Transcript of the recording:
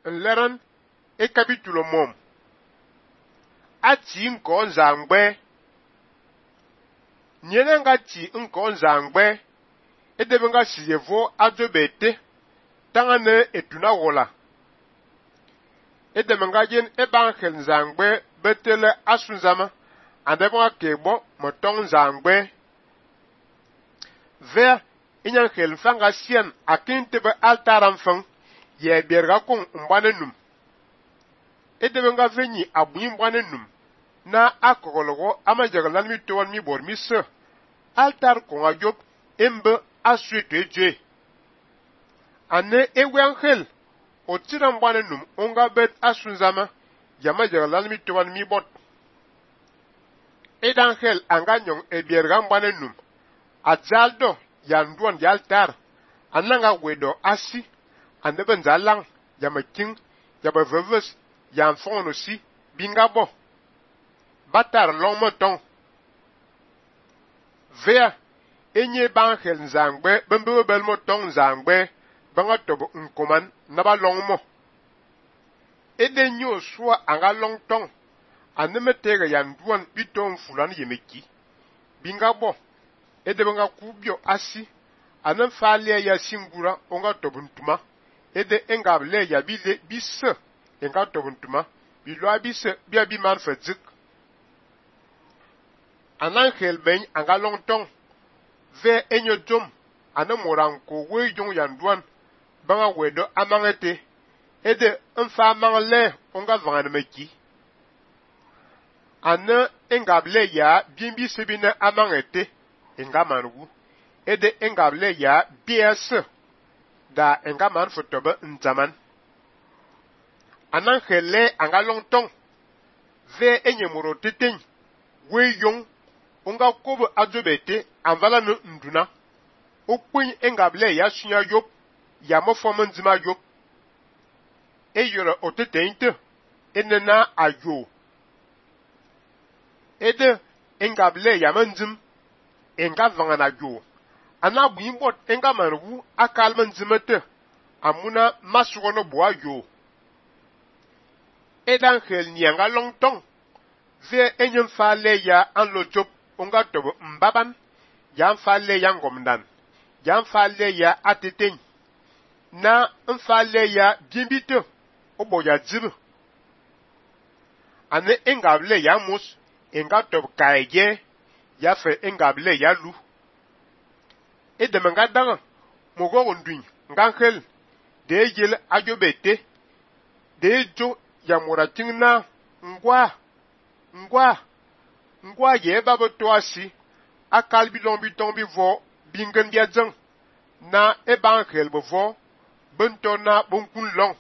nleran e capitulo mom ati nko nzangbe nyene nga ti nko nzangbe edebe nga siyevo adobete tangane etuna wola edebe nga jen ebankhel nzangbe betele asunzama andebe nga kebo motong nzangbe ver inyankhel fanga sien akintebe altaram fang ye berga kong mbane num edebe nga venyi abuyi mbane num na akogologo amajagalan mi towan mi bor mi se altar konga job embe asweto eje ane ewankhel otira mbane num onga bet asunzama yamajagalan mi towan mi bot edankhel anga nyong ebierga mbane num ajaldo yanduan di altar ananga wedo asi andebe nzalang yamaking yabaveves yanfono si bingabo batar long motong vea enye bankhel nzangbe bembe bel motong nzangbe banga tobo nkoman naba long mo ede nyo swa anga long tong aneme tega yanduan biton fulan yemeki bingabo ede banga kubyo asi anem falia ya singura onga tobo ntuma ede engable ya bile bisse enga tobo ntuma bilwa bisse bia bi man fazik anankhel ben anga long tong ve enyo jom anemoranko we jong yanduan banga wedo amangete ede mfa mangle onga vanganmeki ane engable ya bimbi sebine amangete enga manwu ede engable ya BS da enga man fotobe nzaman anankhele anga long tong ve enyemoro teteng we yong onga kobo adobete anvala no nduna okpin engable ya sunya yop ya mofom nzima yop eyoro otetente enena ayo ede engable ya manzim enga vangana ayo anabu imbot enga manwu akal manzimete amuna masugono bo ayo edan khel nyanga longtong ve enyem fale ya anlo job onga tobo mbaban ya mfale ya ngomdan ya mfale ya ateten na mfale ya bimbito obo ya jibu ane engable ya mus enga tobo kaije ya fe engable ya lu edemanga danga mogo ndwin ngankhel de yel ajobete de jo ya moratingna ngwa ye babo toasi akal bilombi tombi vo bingen biadzang na ebankhel bovo bentona bonkun long